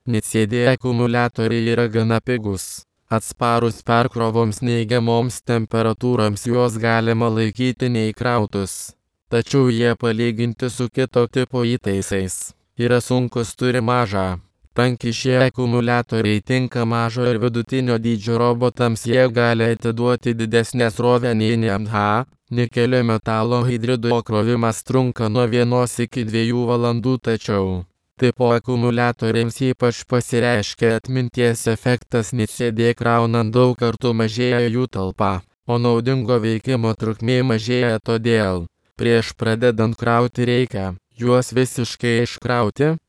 NiCd akumuliatoriai yra gana pigus. Atsparus perkrovoms neigiamoms temperatūroms juos galima laikyti neįkrautus. Tačiau jie palyginti su kito tipo įtaisais yra sunkus, turi mažą tankį. Šie akumuliatoriai tinka mažo ir vidutinio dydžio robotams, jie gali atiduoti didesnę srovę nei NiMH. Nikelio metalo hidrido krovimas trunka nuo 1 iki 2 valandų, tačiau tipo akumuliatoriams ypač pasireiškia atminties efektas. NiCd kraunant daug kartų mažėja jų talpa, o naudingo veikimo trukmė mažėja, todėl prieš pradedant krauti reikia juos visiškai iškrauti.